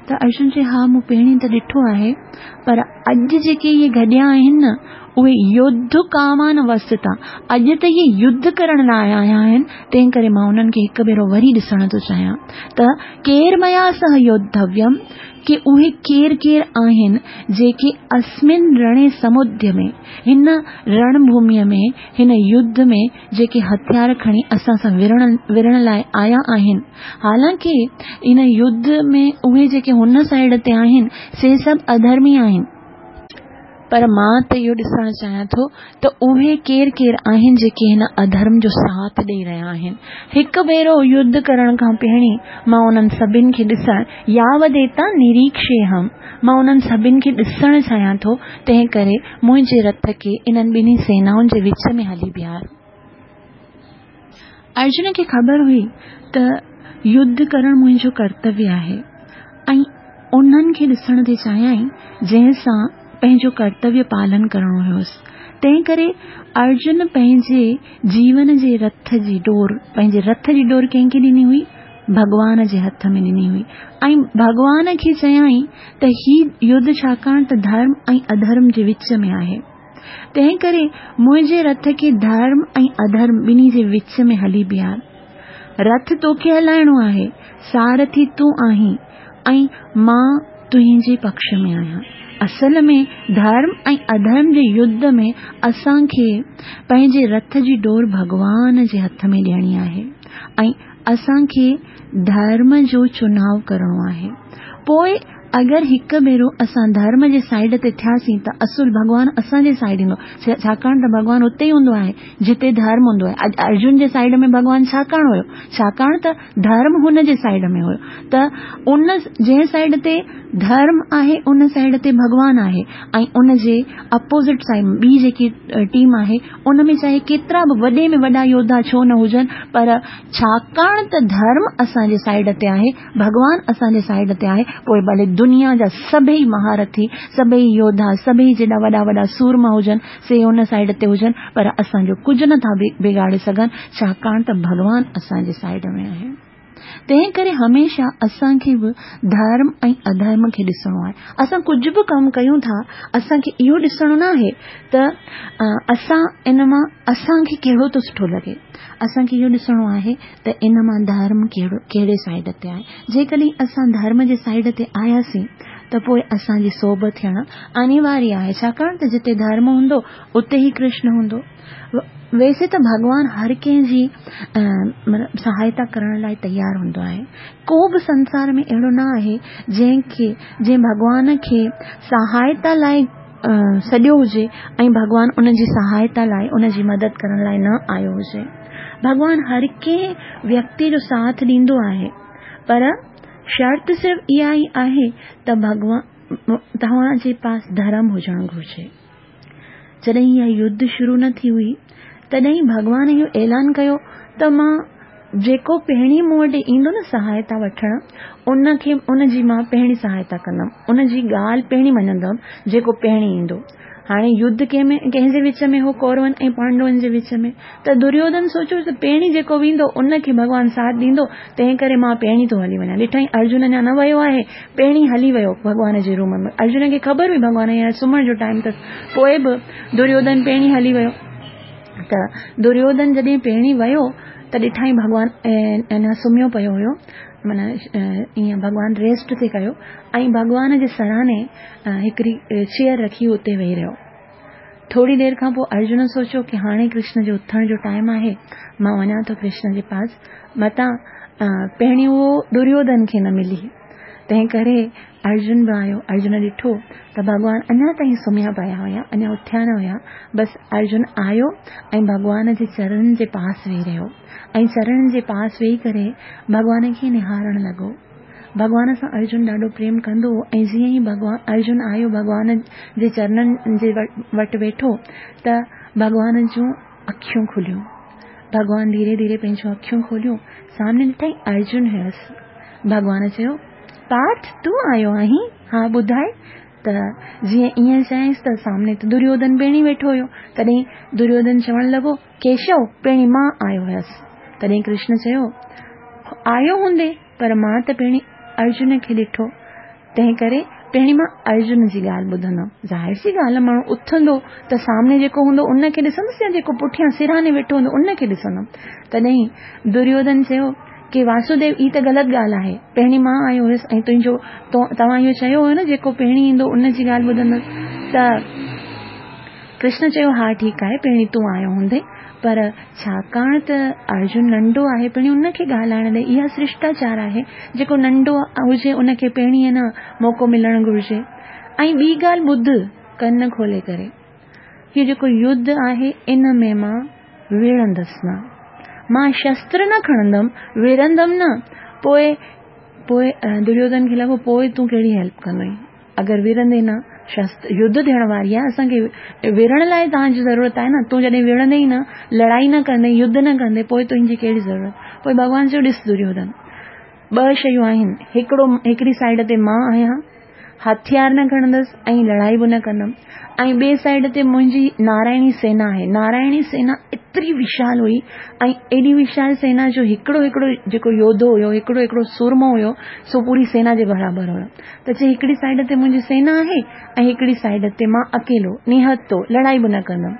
ته ارجن چيو، ها مون پهرين ته ڏٺو آهي، پر اڄ جيڪي اهي گڏيا آهن نه، اهي يڌ ڪامان وستا، اڄ ته اهي يڌ ڪرڻ لاء آيا آهن، تنهن ڪري مان انهن کي هڪ ڀيرو وري ڏسڻ ٿو چاهيان ته ڪير ميا سه يوڌويم، ڪي اهي ڪير ڪير آهن، جيڪي اسمن رڻي سموديمي، هن رڻ ڀوميء ۾، هن يڌ ۾، جيڪي هٿيار کڻي اسان سان وڙهڻ لاء آيا آهن. حالانڪه ان يڌ ۾ اهي جيڪي هن سائيڊ تي آهن، سي سڀ اڌرمي آهن. پر مان ته اهو ڏسڻ چاهيان ٿو ته اهي ڪير ڪير آهن جيڪي هن اڌرم جو ساٿ ڏئي رهيا آهن. هڪ ڀيرو يڌ ڪرڻ کان پهرين مان انهن سڀن کي ڏسڻ، ياوديتا نريکشيهم، مان انهن سڀن کي ڏسڻ چاهيان ٿو، تنهن ڪري منهنجي رٿ کي انهن ٻنهي سينائن جي وچ ۾ هلي بيهار. ارجن کي خبر هئي ته يڌ ڪرڻ منهنجو ڪرتويه آهي. ۽ انهن کي ڏسڻ ٿي چاهيائين جنهن سان پنهنجو ڪرتويه پالن ڪرڻو هيس. تنهن ڪري ارجن پنهنجي جيون جي رٿ جي ڏور، پنهنجي رٿ جي ڏور ڪنهن کي ڏني هئي؟ ڀڳوان جي هٿ ۾ ڏني هئي ۽ ڀڳوان کي چيائين ته هي يڌ ڇاڪاڻ ته ڌرم ۽ اڌرم جي وچ ۾ آهي. تنهن ڪري منهنجي رٿ کي ڌرم ۽ اڌرم ٻنهي جي وچ ۾ هلي بيهار. رٿ توکي هلائڻو آهي، سارٿي تون آهين ۽ مان تنهنجي پڪش ۾ آهيان. اصل ۾ ڌرم ۽ اڌرم جي يڌ ۾ اسان کي پنهنجي رٿ جي ڏور ڀڳوان جي هٿ ۾ ڏيڻي آهي ۽ اسان کي ڌرم جو چناء ڪرڻو آهي. پوء اگر هڪ ڀيرو اسان ڌرم جي سائيڊ تي ٿياسين ته اصل ڀڳوان اسان جي سائيڊ ايندو، ڇاڪاڻ ته ڀڳوان اتي ئي هوندو آهي جتي ڌرم هوندو آهي. اڄ ارجن جي سائيڊ ۾ ڀڳوان ڇاڪاڻ هيو؟ ڇاڪاڻ ته ڌرم هن جي سائيڊ ۾ هيو ته ان جنهن سائيڊ تي ڌرم آهي ان سائيڊ تي ڀڳوان آهي ۽ ان جي اپوزٽ سائيڊ ٻي جيڪي ٽيم آهي ان ۾ چاهي ڪيترا به وڏي ۾ وڏا يوڌا ڇو نه هجن پر ڇاڪاڻ ته ڌرم اسان جي سائيڊ تي آهي ڀڳوان اسان جي سائيڊ تي آهي، پوء ڀلي دنيا جا سڀئي مهارٿي، سڀئي يوڌا، سڀئي جيڏا وڏا وڏا سورما هجن، سي ان سائيڊ تي هجن، پر اسان جو ڪجهه نه ٿا بگاڙي سگهن، ڇاڪاڻ ته ڀڳوان اسان جي سائيڊ ۾ آهي. تنهن ڪري هميشه اسان کي به ڌرم ۽ اڌرم کي ڏسڻو آهي. اسان ڪجهه به ڪم ڪيون ٿا، اسان کي اهو ڏسڻو نه آهي ته اسان ان مان اسان کي ڪهڙو ٿو سٺو لڳي. اسان کي اهو ڏسڻو آهي ته ان مان ڌرم ڪهڙو ڪهڙي سائيڊ تي آهي. جيڪڏهن اسان ڌرم جي سائيڊ تي آياسين ته پوء اسان جي سوڀ ٿيڻ انيواريه آهي ڇاڪاڻ ته جتي ڌرم هوندو اتي ئي ڪرشن هوندو. ويسي ته ڀڳوان هر ڪنهن جي سهائتا ڪرڻ لاء تيار هوندو آهي. ڪو به سنسار ۾ اهڙو نه آهي جنهن کي جنهن ڀڳوان کي سهائتا لاء سڏيو هجي ۽ ڀڳوان ان جي سهائتا لاء ان جي مدد ڪرڻ لاء نه آيو هجي. ڀڳوان هر ڪنهن ويڪتي جو ساٿ ڏيندو آهي پر شرط صرف اها ئي آهي ته ڀڳوان توهان جي پاس ڌرم هجڻ گهرجي. جڏهن اها يڌ شروع نه ٿي هئي تڏهن ڀڳوان اهو اعلان ڪيو ته مان جيڪو پهرين مون وٽ ايندو نه سهائتا وٺڻ ان کي ان جي مان پهرين سهائتا ڪندم ان جي ڳالهه پهرين مڃندم جيڪو پهرين ايندو. هاڻي يڌ ڪنهن ۾ ڪنهن جي وچ ۾ هو ڪورون ۽ پانڊون جي وچ ۾ ته دريوڌن سوچيو ته پهرين جيڪو ويندو ان کي ڀڳوان ساٿ ڏيندو تنهن ڪري مان پهرين ٿو هلي وڃان ڏٺائين ارجن اڃا نه ويو آهي پهرين هلي ويو ڀڳوان جي روم ۾ ارجن کي خبر هئي ڀڳوان هينئر سمهڻ جو ٽائيم اٿس پوء به دريوڌن پهرين هلي ويو ته دريوڌن جڏهن پهرين ويو ته ڏٺائين ڀڳوان اڃا سمهيو پيو هيو معنيٰ ائين ڀڳوان ريسٽ ٿي ڪيو ۽ ڀڳوان جي سرهاڻي هڪڙي چيئر رکي اتي ويهي رهيو. ٿوري دير کان پوء ارجن سوچيو ڪي هاڻي ڪرشن جو اٿڻ جو ٽائيم آهي، مان وڃان ٿو ڪرشن جي پاس، متان پهرين اهو دريوڌن کي نه ملي. تنهن ڪري ارجن به آيو. ارجن ڏٺو ته ڀڳوان اڃا تائين سمهيا پيا هيا، اڃا اٿيا نه هيا. بس ارجن آيو ۽ ڀڳوان جي چرڻن جي پاس ويهي رهيو ۽ چرڻن جي پاس ويهي ڪري ڀڳوان کي نهارڻ لڳو. ڀڳوان سان ارجن ڏاڍو پريم ڪندو هو ۽ جيئن ئي ڀڳوان ارجن آيو ڀڳوان جي چرنن جي وٽ ويٺو ته ڀڳوان جون اکيون کليون. ڀڳوان ڌيري ڌيري پنهنجون اکيون کوليون سامني ڏٺائين ارجن هيس. ڀڳوان چيو، پارٿ تون آيو آهين؟ ها ٻڌاء ته جيئن ائين چيائينس ته سامني ته دريوڌن پڻ ويٺو هيو. تڏهن دريوڌن چوڻ لڳو، ڪيشو، پهرين مان آيو هيس. تڏهن ڪرشن چيو، آيو هوندين، پر مان ته پهرين ارجن کي ڏٺو، تنهن ڪري پهرين مان ارجن جي ڳالهه ٻڌندم. ظاهر سي ڳالهه آهي، ماڻهو اٿندو ته سامني جيڪو هوندو ان کي ڏسندس يا جيڪو پٺيان سرهاني ويٺو هوندو ان کي ڏسندم. تڏهن دريوڌن چيو ڪي واسوديو هي ته غلط ڳالهه آهي، پهرين مان آيو هيس ۽ تنهنجو توهان اهو چيو هيو نه جيڪو پهرين ايندو ان جي ڳالهه ٻڌندس ته ڪرشن چيو، ها ٺيڪ آهي، پهرين تون آيو هوندين، پر ڇاڪاڻ ته ارجن ننڍو آهي، پهرين ان کي ڳالهائڻ ڏي، اها شرشٽاچار آهي، جيڪو ننڍو هجي ان کي پهرين نه موقعو ملڻ گهرجي. ۽ ٻي ڳالهه ٻڌ ڪن کولي ڪري، هي جيڪو يڌ آهي ان ۾ مان وڙهندس نه، مان شستر نه کڻندم، وڙهندم نه، پوء پوء دريوڌن کي لڳو پوء تون ڪهڙي هيلپ ڪندين. اگر وڙهندين نه، شستر يڌ ٿيڻ واري آهي، اسان کي وڙهڻ لاء توهان جي ضرورت آهي نه، تون جڏهن وڙهندين ئي نه، لڙائي نه ڪندين، يڌ نه ڪندين، پوء تنهنجي ڪهڙي ضرورت؟ پوء ڀڳوان چيو، ڏس دريوڌن، ٻه شيون آهن، هڪڙو هڪڙي سائيڊ تي مان آهيان، هٿيار نه کڻندس ۽ لڙائي به نه ڪندم ۽ ٻئي سائيڊ تي منهنجي نارائڻي سينا آهي. نارائڻي سينا ايتري وشال هئي ۽ ايڏي وشال سينا جو هڪڙو هڪڙو جيڪو يوڌو هيو، هڪڙو هڪڙو سورمو هيو، سو پوري سينا جي برابر هيو. ته چئي هڪڙي سائيڊ تي منهنجي سينا آهي ۽ هڪڙي سائيڊ تي مان اڪيلو نهتو لڙائي به نه ڪندم.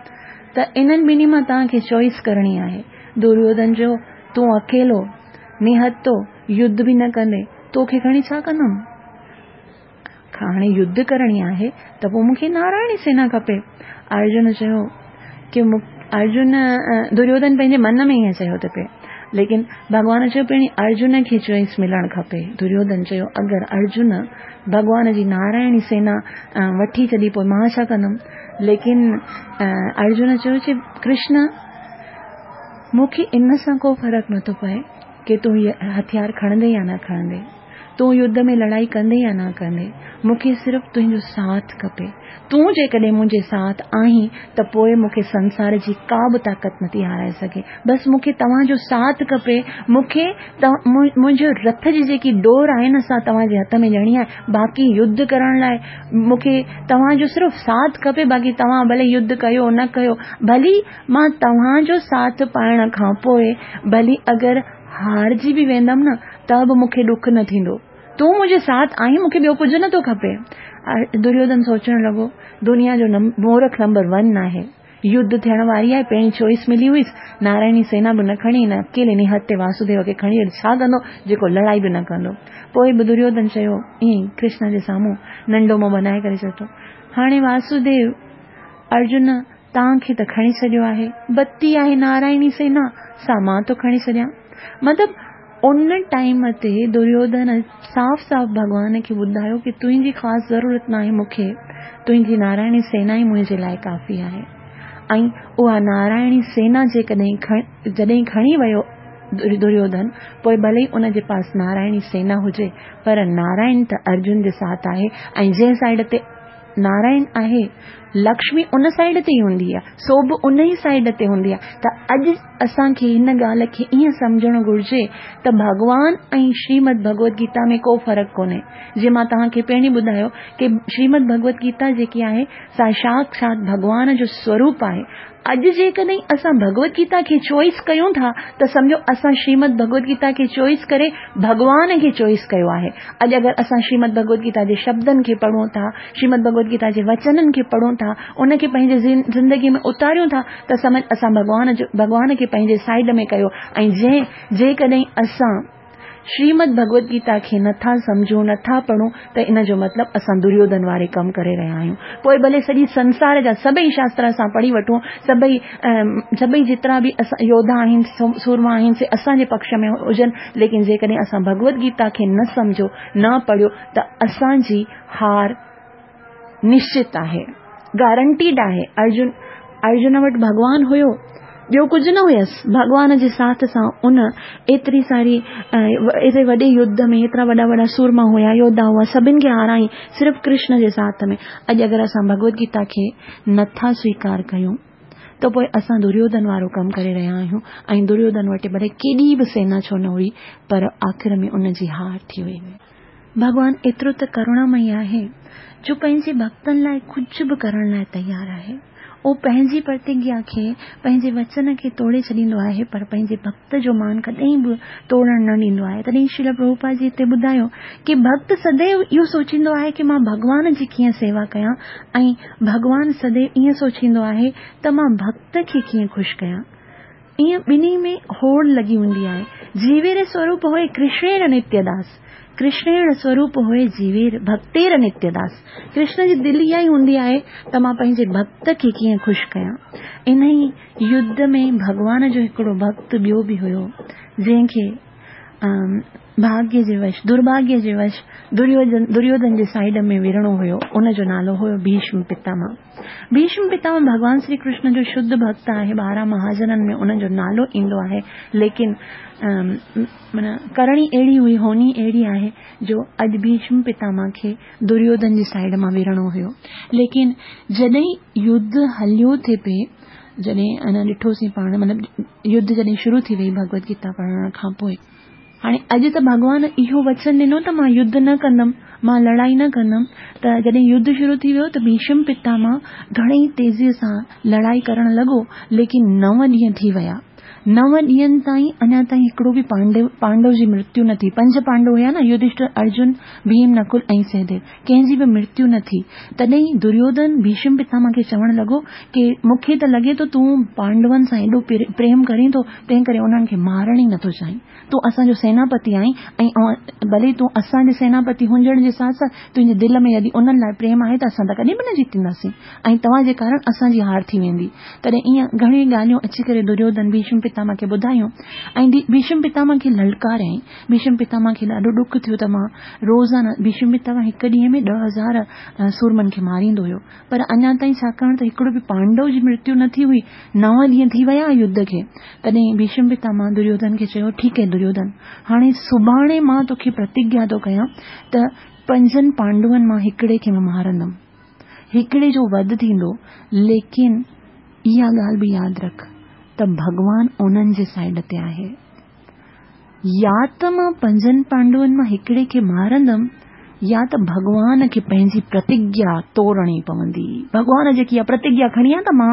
ته انهن ٻنهي مان توهان کي چوائس ڪرڻي آهي. دريوڌن چيو، تون اڪيلو نهتو يڌ به نه ڪندين، توکي کڻي ڇا ڪندم؟ هاڻي يڌ ڪرڻي آهي ته پوء مون کي نارائڻي سينا کپي. ارجن چيو ڪي ارجن دريوڌن پنهنجي من ۾ ائين چيو ٿي پئي ليڪن ڀڳوان چيو پهرين ارجن کي چوائس ملڻ کپي. دريوڌن چيو اگر ارجن ڀڳوان جي نارائڻي سينا وٺي ڇڏي پوء مان ڇا ڪندم؟ ليڪن ارجن چيو چي ڪرشن مون کي ان سان ڪو فرق نٿو پئي ڪي تون هٿيار کڻندين يا نه کڻندين. تون يڌ ۾ لڙائي ڪندين يا نه ڪندين، مون کي صرف تنهنجو ساٿ کپي. تون جيڪڏهن منهنجي ساٿ آهين ته پوء مون کي سنسار جي ڪا به طاقت نٿي هارائي سگهي. بس مون کي توهان جو ساٿ کپي. مون کي منهنجي رٿ جي جيڪي ڏور آهي نه سا توهان جي هٿ ۾ ڏيڻي آهي. باقي يڌ ڪرڻ لاء مون کي توهان جو صرف ساٿ کپي، باقي توهان ڀلي يڌ ڪيو نه ڪيو، ڀلي مان توهان جو ساٿ پائڻ کان پوء ڀلي اگر هارجي به ويندم نه ته به مون کي ڏک نه ٿيندو. تون منهنجي ساٿ آهين مون کي ٻيو ڪجهه نه ٿو کپي. دريوڌن سوچڻ لڳو، دنيا جو مورک نمبر ون آهي. يڌ ٿيڻ واري آهي، پهرين چوائس ملي هئس، نارائڻي سينا به نه کڻي، هن اڪيلي نهتي واسوديو کي کڻي ڇا ڪندو جيڪو لڙائي به نه ڪندو. پوء به دريوڌن چيو، ائين ئي ڪرشنا جي سامهون ننڍو منهن بنائي ڪري چئي ٿو، هاڻي واسوديو، ارجن توهان کي ته کڻي ڇڏيو آهي، بتي آهي نارائڻي سينا، سا مان ٿو کڻي ڇڏيان. مطلب ان ٽائيم تي دريوڌن صاف صاف ڀڳوان کي ٻڌايو ڪي تنهنجي خاص ضرورت ناهي مون کي، تنهنجي نارائڻي سينا ئي منهنجي لاء ڪافي آهي. ۽ اها نارائڻي سينا جيڪڏهن جڏهن کڻي ويو دريوڌن، پوء ڀلي ئي ان جي پاس نارائڻي سينا هجي، پر نارائڻ ته ارجن جي ساٿ آهي ۽ جنهن سائيڊ تي نارائڻ آهي، لڪشمي ان سائيڊ تي ئي هوندي آهي، سو به ان ئي سائيڊ تي هوندي آهي ته اڄ اسان کي هن ڳالهه کي ائين سمجهڻ گهرجي ته ڀڳوان ۽ شريمد ڀڳوت گيتا ۾ ڪو فرق ڪونهي. جيئن مان توهان کي پهرين ٻڌايو ڪي شريمد ڀڳوت گيتا جيڪي آهي سا ساڪشات ڀڳوان جو سوروپ آهي. اڄ جيڪڏهن اسان ڀڳوت گيتا کي چوائس ڪيون ٿا ته سمجهو اسان شريمد ڀڳوت گيتا کي چوائس ڪري ڀڳوان کي چوائس ڪيو آهي. اڄ اگر اسان شريمد ڀڳوت گيتا جي شبدن کي پڙهون ٿا، شريمد ڀڳوت گيتا جي وچنن کي پڙهون ٿا، ان کي پنهنجي زندگي ۾ اتاريون ٿا ته سمجهه اسان ڀڳوان جو ڀڳوان کي پنهنجي سائيڊ ۾ ڪيو ۽ جنهن جيڪڏهن اسان شريمد ڀڳوت گيتا کي نه ٿا سمجهون، نه ٿا پڙهون ته ان جو مطلب اسان دريوڌن واري ڪم ڪري رهيا آهيون. پوء ڀلي سڄي سنسار جا سڀئي شاستر اسان پڙهي وٺون، سڀئي سڀئي جيترا به اسان يوڌا آهن، سورما آهن سي اسان جي پڪش ۾ هجن، ليڪن جيڪڏهن اسان ڀڳوت گيتا کي نه سمجهيو، نه پڙهيو ته اسان جي هار نشچت آهي، گارنٽيڊ آهي. ارجن ارجن وٽ ڀڳوان هيو، ٻيو ڪجهه نه هيس. ڀڳوان جي ساٿ سان ان ايتري ساري ايتري وڏي يڌ ۾ ايترا وڏا وڏا سورما هيا، يوڌا هئا، سڀن کي هارائين صرف ڪرشن جي ساٿ ۾. اڄ اگر اسان ڀڳوت گيتا کي نٿا سويڪار ڪيون ته پوء اسان دريوڌن وارو ڪم ڪري رهيا آهيون ۽ دريوڌن وٽ ڀلي ڪيڏي به سينا ڇو نه هئي پر آخر ۾ ان جي هار ٿي وئي. ڀڳوان ايترو ته ڪروڻامئي آهي جو پنهنجي ڀڳتن لاء ڪجهه به ڪرڻ لاء تيار آهي. اهو پنهنجي پرتگيا کي، پنهنجي وچن کي توڙي ڇڏيندو آهي پر پنهنجي ڀڳت جو مان ڪڏهن به توڙڻ نه ڏيندو آهي. تڏهن شريل پرڀوپاد جي هتي ٻڌايو ڪي ڀڳت سديو اهو سوچيندو آهي ڪي مان ڀڳوان جي ڪيئن سيوا ڪيان ۽ ڀڳوان سديو ائين سوچيندو آهي ته مان ڀڳت کي ڪيئن خوش ڪيان. ائين ٻنهي ۾ هوڙ لڳي هوندي آهي. جيوير سوروپ هوئي ڪرشڻير نتيه داس. ڪرشڻير سوروپ هوئي جيوير ڀڳتير نتيه داس. ڪرشن جي دل اها ئي هوندي آهي ته مان پنهنجي ڀڳت کي ڪيئن خوش ڪيان. انهي يڌ ۾ ڀڳوان جو هڪڙو ڀڳت ٻيو به هيو جنهن کي ڀاڳيه جي وش درڀاڳيه جي وش دريوڌن جي سائيڊ ۾ وڙهڻو هيو ان جو نالو هيو ڀيشم پتامه. ڀيشم پتامه ڀڳوان شري ڪرشن جو شڌ ڀڳت آهي، 12 مهاجنن ۾ ان جو نالو ايندو آهي، ليڪن معنيٰ ڪرڻي اهڙي هئي، هوني اهڙي آهي جو اڄ ڀيشم پتامه کي دريوڌن جي سائيڊ مان وڙهڻو هيو، ليڪن جڏهن يڌ هليو ٿي پئي، جڏهن انا ڏٺوسين پاڻ مطلب يڌ جڏهن شروع ٿي وئي ڀڳوت گيتا پڙهڻ کان پوء. هاڻي اڄ ته ڀڳوان اهو وچن ڏنو ته مان يڌ نه ڪندم، مان لڙائي نه ڪندم ته جڏهن يڌ شروع ٿي ويو ته ڀيشم پتاماه گهڻي ئي تيزيء سان لڙائي ڪرڻ لڳو ليڪن نو ڏينهن ٿي ويا. نو ڏينهن تائين اڃا تائين هڪڙو به پانڊو پانڊو جي مرتيو نه ٿي. پنج پانڊو هيا نه يڌشٽر، ارجن، ڀيم، نڪل ۽ سهديو. ڪنهن جي به مرتيو نه ٿي. تڏهن دريوڌن ڀيشم پتاماه کي چوڻ لڳو ڪي مون کي ته لڳي ٿو تون پانڊون سان ايڏو پريم ڪرين ٿو تنهن ڪري انهن کي مارڻ ئي نٿو چاهين. تون اسان جو سيناپتي آهين ۽ ڀلي تون اسان جي سيناپتي هجڻ جي ساٿ ساٿ تنهنجي دل ۾ يدي انهن لاء پريم آهي ته اسان ته ڪڏهن به نه جيتينداسين ۽ توهان جي ڪارڻ اسان جي هار ٿي ويندي. تڏهن ائين گهڻيون ڳالهيون اچي ڪري دريوڌن ڀيشم پتاماه کي ٻڌايون ۽ ڀيشم پتاماه کي للڪاريائين. ڀيشم پتاماه کي ڏاڍو ڏک ٿيو ته مان روزانه ڀيشم پتاماه هڪ ڏينهن ۾ 10,000 سورمن کي ماريندو هيو پر اڃا تائين ڇاڪاڻ ته هڪڙو به پانڊو جي مرتيو نه ٿي هئي، نو ڏينهن ٿي ويا يڌ کي. تڏهن ڀيشم پتاماه دريوڌن کي چيو، ٺيڪ آهي دريوڌن، هاڻي سڀاڻي مان توکي پرتگيا ٿو ڪيان ته پنجن پانڊون مان هڪڙي کي مان مارندم. هڪڙي جو وڌ ٿيندو، ليڪن اها ڳالهه به ياد رک ته ڀڳوان انهن جي سائيڊ تي آهي. يا ته مان پنجن پانڊون مان هڪڙي کي مارندم يا ته ڀڳوان کي پنهنجي پرتگيا توڙڻي پوندي. ڀڳوان جيڪي اها پرتگيا کڻي آهي ته مان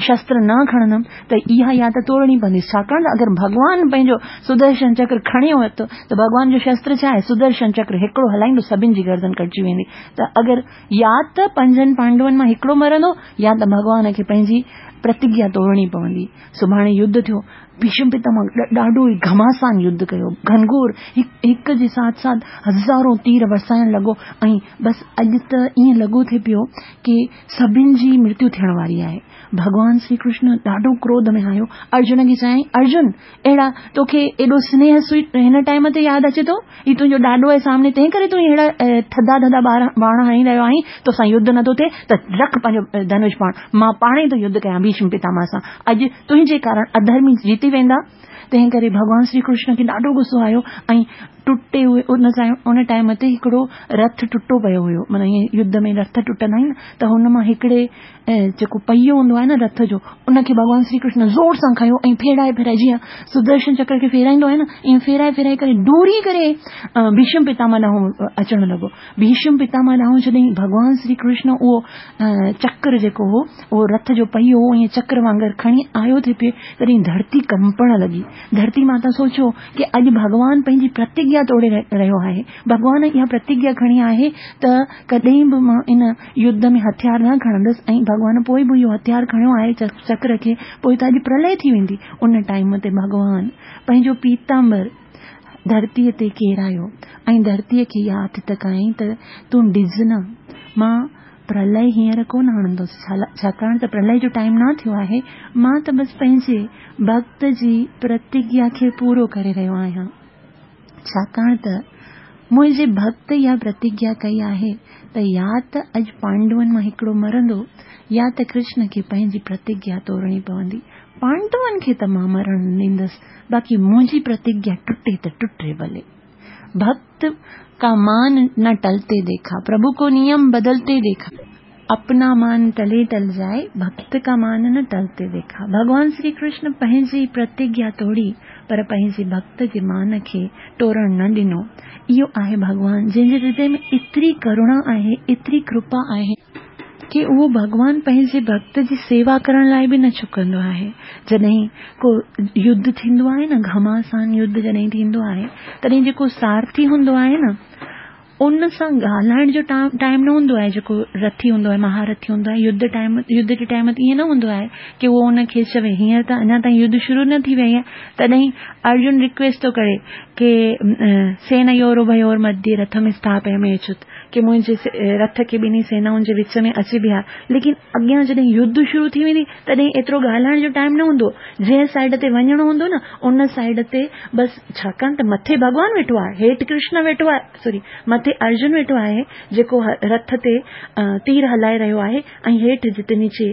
شستر نه کڻندم ته اها يا ته توڙڻي پوندي ڇاڪاڻ ته اگر ڀڳوان پنهنجو سدرشن چڪر کڻي ورتو ته ڀڳوان جو شستر ڇا آهي سدرشن چڪر هڪڙو هلائيندو سڀن جي گردن ڪٽجي ويندي ته اگر يا ته پنجن پانڊون مان هڪڙو مرندو يا ته ڀڳوان کي پنهنجي پرتگيا توڙڻي پوندي. سڀاڻي يڌ ٿيو. ڀيشم پتاماه ڏاڍو ئي گهماسان يڌ ڪيو. گهنگهور هڪ جي ساٿ ساٿ هزارون تير وسائڻ لڳو ۽ بس اڄ ته ائين لڳو ٿي پيو ڪي سڀن جي مرتيو ٿيڻ واري آهي. ڀڳوان شري ڪرشن ڏاڍو ڪروڌ ۾ آيو. ارجن کي چيائين، ارجن! اهڙا توکي ايڏو سنيهه هن ٽائيم تي ياد اچي ٿو؟ هي تنهنجو ڏاڏو آهي سامني تنهن ڪري تون اهڙا ٿڌا ٿڌا ٻاڻ هڻي رهيو آهين، توسان يڌ نٿو ٿئي ته رک پنهنجو ڌنوش باڻ، مان پاڻ ئي ٿو يڌ ڪيان ڀيشم پتاماه سان، اڄ تنهنجي ڪارڻ اڌرمي جيتي ويندا. تنهن ڪري ڀڳوان شري ڪرشن کي ڏاڍو غصو آيو ۽ ٽٽي هئي ان ان ٽائيم تي هڪڙو رٿ ٽٽو پيو هيو معنيٰ ائين يڌ ۾ رٿ ٽٽندا آهن نه ته هن مان هڪڙي جيڪو پهيو هوندو آهي نه رٿ جو ان کي ڀڳوان شري ڪرشن زور سان کنيو ۽ ڦيرائي ڦيرائي جيئن سدرشن چڪر کي ڦيرائيندو آهي نه ائين ڦيرائي ڦيرائي ڪري ڊوڙي ڪري ڀيشم پتاماه ڏانهن اچڻ لڳو ڀيشم پتاماه ڏانهن جڏهن ڀڳوان شري ڪرشن اهو چڪر جيڪو هو اهو رٿ جو پهيو هو ائين چڪر وانگر کڻي آيو ٿي پئي تڏهن ڌرتي ڪمپڻ لڳي ڌرتي ماتا سوچيو ڪي اڄ ڀڳوان پنهنجي پرتگيا توڙي رهيو آهي ڀڳوان اها پرتگيا کڻي آهي ته ڪڏهن به مان ان يڌ ۾ هٿيار نه کڻندس ۽ ڀڳوان پوء به اهو هٿيار کڻيو آهي چڪر کي پوء ته اڄ پرلئه ٿي ويندي. ان ٽائيم تي ڀڳوان پنهنجو پيتامبر ڌرتيء تي ڪيرايو ۽ ڌرتيء کي اها آٿت ڪيائين ته تون ڊڄ نه، مان پرلئه هينئر ڪونه آڻندس، ڇاڪاڻ ته پرلئه جو ٽائيم نه ٿيو آهي، مان ته بس پنهنجي ڀڳت جي پرتگيا کي پورو ڪري رهيو آهيان. ڇاڪاڻ ته منهنجي ڀڳت اها پرتگيا ڪئي آهي ته يا ته اڄ پانڊون مان هڪڙو مرندو يا ته ڪرشن کي پنهنجي پرتگيا توڙڻي پوندي. پانڊون کي ته مان مرڻ نه ڏيندس، باقي منهنجي پرتگيا ٽٽي ته ٽٽي ڀلي. ڀڳت ڪا مان نه ٽلتي ديکا، پرڀو ڪو نيم بدلتي ديکا. اپنا مان ٽلي ٽل جائي، ڀڳت ڪا مان نه ٽلتي ديکا. ڀڳوان شري ڪرشن پنهنجي پرتگيا توڙي، پر پنهنجي ڀڳت جي مان کي ٽوڙڻ نه ڏنو. اهو آهي ڀڳوان، جنهن جي هردي ۾ ايتري ڪروڻا آهي، ايتري ڪرپا آهي، ڪي اهو ڀڳوان پنهنجي ڀڳت جي سيوا ڪرڻ لاء به نه چڪندو آهي. جڏهن ڪو يڌ ٿيندو آهي نه، گهماسان يڌ جڏهن ٿيندو آهي، تڏهن جيڪو سارٿي هوندو آهي نه، ان سان ڳالهائڻ جو ٽائيم نه هوندو آهي جيڪو رٿي هوندو آهي مهارٿي هوندو آهي يڌ ٽائيم يڌ جي ٽائيم تي ائين نه هوندو آهي ڪي اهو ان کي چوي هينئر ته اڃا تائين يڌ شروع نه ٿي وئي آهي تڏهن ارجن رڪويسٽ ٿو ڪري ڪي سينيور اڀيور مڌيه رٿم اسٿاپيامي اچت ڪي منهنجي رٿ کي ٻنهي سينائن جي وچ ۾ اچي بيهار ليڪن اڳيان جڏهن يڌ شروع ٿي ويندي تڏهن ايترو ڳالهائڻ جو ٽائيم نه هوندو. جنهن سائيڊ تي وڃڻو هوندو نه ان سائيڊ تي بس ڇاڪاڻ ته مٿي ڀڳوان ويٺو آهي هيٺ ڪرشن ويٺو آهي سوري مٿي ارجن ويٺو آهي جيڪو رٿ تي تير هلائي رهيو آهي ۽ هيٺ جتي نيچي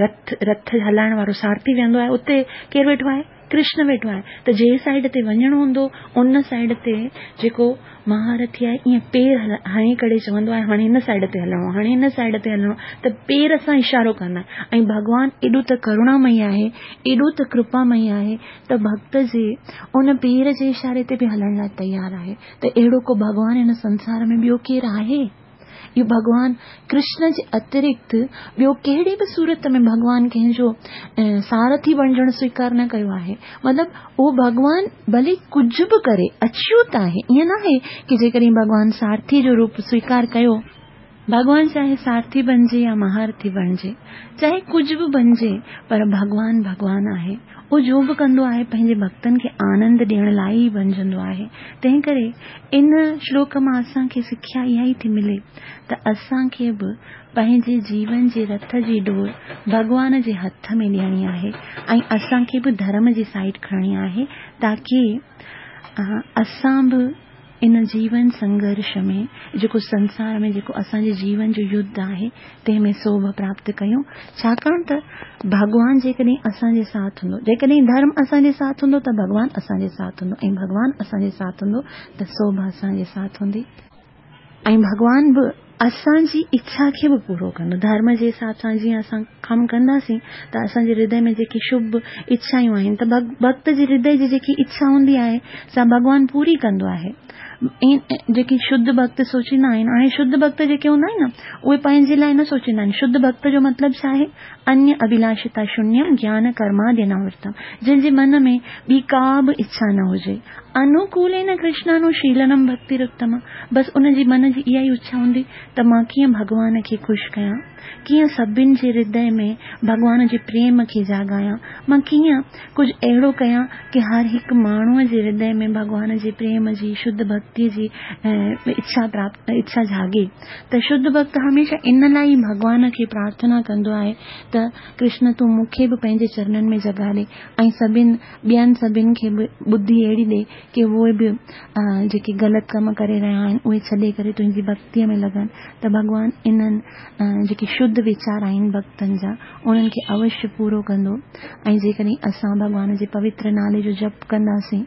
رٿ رٿ هلائڻ وارو سارٿي ويهندو آهي اتي ڪير ويٺو آهي؟ ڪرشن ويٺو آهي ته جنهن سائيڊ تي وڃڻو هوندو ان سائيڊ تي جيڪو مهارٿي آهي ائين پير هڻي ڪري چوندو آهي هاڻي هن سائيڊ تي هلڻو آهي هاڻي هن سائيڊ تي هلڻو آهي ته پير سان اشارو ڪندا آهن ۽ ڀڳوان ايڏو ته ڪروڻامئي آهي ايڏو ته ڪرپامئي آهي ته ڀڳت جي ان پير جي اشاري تي به هلڻ لاء تيار آهي ته اهڙو ڪو ڀڳوان هن سنسار ۾ ٻيو ڪير آهي؟ اهو ڀڳوان ڪرشن جي اترڪت ٻيو ڪهڙي به صورت ۾ ڀڳوان ڪنهن جو سارٿي بڻجڻ سويڪار نه ڪيو آهي. مطلب اهو ڀڳوان ڀلي ڪجهه به ڪري اڇوت آهي. ائين ناهي ڪي جيڪڏهن ڀڳوان سارٿي جو روپ سويڪار ڪيو. ڀڳوان چاهي سارٿي بڻجي يا مهارٿي بڻجي، چاهي ڪجهه به بڻجي پر ڀڳوان ڀڳوان آهي. اهو جو به ڪندو آهي پنهنجي ڀڳتن کي آنند ڏيڻ لاء ئي بڻجندو آهي. تنهن ڪري ان شلوڪ مان اسان کي سکيا اها ئي ٿي ملي ته اسان کي به پنهنجي جيون جي رٿ جي ڏور ڀڳوان جي هٿ ۾ ڏيڻي آهي ۽ اسان کي به ڌرم جي سائيڊ کڻڻي آهي تاڪي اسان به ان جيون سنگهرش ۾ جيڪو سنسار ۾ جيڪو اسان جي جيون جو يڌ آهي تنهن ۾ سوڀ پراپت ڪيون ڇاڪاڻ ته ڀڳوان جيڪڏهن اسان جي ساٿ هوندو جيڪڏهن ڌرم اسان جي ساٿ هوندو ته ڀڳوان اسان جي ساٿ هوندو ۽ ڀڳوان اسان جي ساٿ هوندو ته سوڀ اسان جي ساٿ هوندي ۽ ڀڳوان به اسان جي اڇا کي به پورو ڪندو. ڌرم جي حساب سان جيئن اسان ڪم ڪنداسين ته اسان جي هردي ۾ جيڪي شڀ اڇائون آهن ته ڀڳت جي هردي جي جيڪي اڇا هوندي آهي سا ڀڳوان پوري ڪندو آهي. جيڪي شڌ ڀڳت سوچيندا آهن هاڻي شڌ ڀڳت جيڪي هوندا آهن نه اهي پنهنجي لاء نه سوچيندا آهن. شڌ ڀڳت جو مطلب ڇا آهي؟ انيه اڀلاشتا شونيم گيان ڪرماديناورتم جنهن جي من ۾ ٻي ڪا به اڇا نه هجي. انوڪولين ڪرشنانوشيلنم ڀڳتيراتما بس ان جي من جي اها ئي اڇا هوندي ته مان ڪيئن ڀڳوان کي خوش ڪيان، ڪيئن سڀن جي هردي ۾ ڀڳوان جي پريم کي جاڳايان، مان ڪيئن ڪجهه اهڙو ڪيان ڪي هر هڪ ماڻهوء جي هردي ۾ ڀڳوان جي پريم جي شڌ ڀڳتيء جي اڇا پراپت اڇا جاڳي ته شڌ ڀڳت هميشه ان لاء ئي ڀڳوان کي پرارٿنا ڪندو آهي ته ڪرشن تون مون کي به پنهنجي چرنن ۾ جڳهه ڏي ۽ سڀن ٻين سڀن کي به ٻڌي اهڙي ڏي ڪي اهي به جيڪي غلط ڪم ڪري رهيا آهن اهي ڇڏي ڪري تنهنجي ڀڳتيء ۾ لڳن ته ڀڳوان انهن جيڪي شڌ ويچار آهن ڀڳتن جا انهن کي اوشيه پورو ڪندو ۽ جيڪڏهن اسان ڀڳوان جي پوتر نالي جو جپ ڪنداسين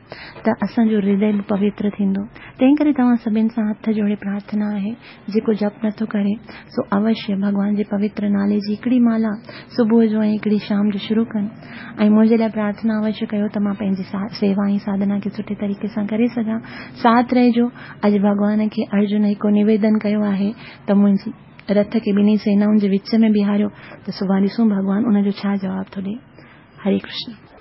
ته اسان جو هردي به پوتر ٿيندو تنهن ڪري توهان سڀن سان هٿ جوڙي پرارٿنا آهي جيڪو جپ نٿو ڪري سو اوشيه ڀڳوان جي پوتر نالي جي هڪڙي مالا صبح جو ۽ هڪڙي شام جو شروع ڪن ۽ منهنجي لاء پرارٿنا اوشيه ڪيو ته مان پنهنجي سيوا ۽ ساڌنا کي سٺي طريقي سان ڪري سگهان. ساٿ رهجو. اڄ ڀڳوان کي ارجن هڪو نويدن ڪيو آهي ته منهنجي رٿ کي ٻنهي سينائن جي وچ ۾ بيهاريو ته سڀاڻ ڏسون ڀڳوان ان جو ڇا جواب ٿو ڏئي. هري ڪرشن.